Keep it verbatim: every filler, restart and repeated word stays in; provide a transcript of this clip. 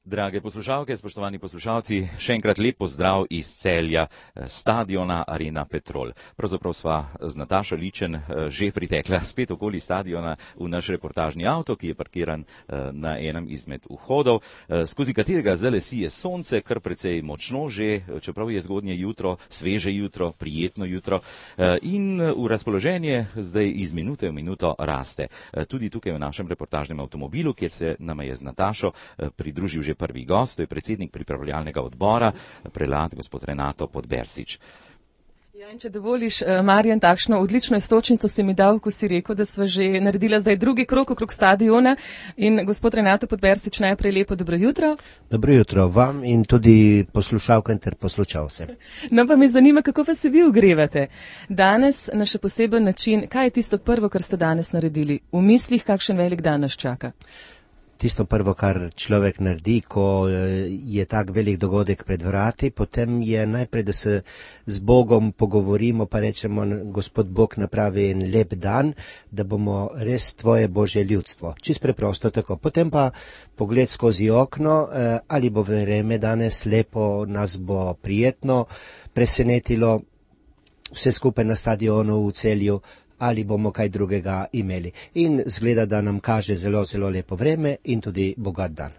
Drage poslušalke, spoštovani poslušalci, še enkrat lep pozdrav iz Celja, stadiona Arena Petrol. Pravzaprav sva z Natašo Ličen že pritekla spet okoli stadiona v naš reportažni avto, ki je parkiran na enem izmed vhodov, skozi katerega zdajle sije sonce, kar precej močno že, čeprav je zgodnje jutro, sveže jutro, prijetno jutro in v razpoloženje zdaj iz minute v minuto raste. Tudi tukaj v našem reportažnem avtomobilu, kjer se nama je z Natašo pridružil že prvi gost, to je predsednik pripravljalnega odbora, prelat gospod Renato Podbersič. Ja, in če dovoliš, Marjan, takšno odlično istočnico si mi dal, ko si rekel, da sva že naredila zdaj drugi krog okrog stadiona. In gospod Renato Podbersič, najprej lepo dobro jutro. Dobro jutro vam in tudi poslušalkam ter poslušalcem. No, pa me zanima, kako pa se vi ogrevate. Danes na še poseben način, kaj je tisto prvo, kar ste danes naredili? V mislih, kakšen velik dan nas čaka? Tisto prvo, kar človek naredi, ko je tak velik dogodek pred vrati, potem je najprej, da se z Bogom pogovorimo, pa rečemo, Gospod Bog napravi en lep dan, da bomo res tvoje Božje ljudstvo. Čist preprosto tako. Potem pa pogled skozi okno, ali bo vreme danes lepo, nas bo prijetno presenetilo, vse skupaj na stadionu v Celju, ali bomo kaj drugega imeli. In zgleda, da nam kaže zelo, zelo lepo vreme in tudi bogat dan.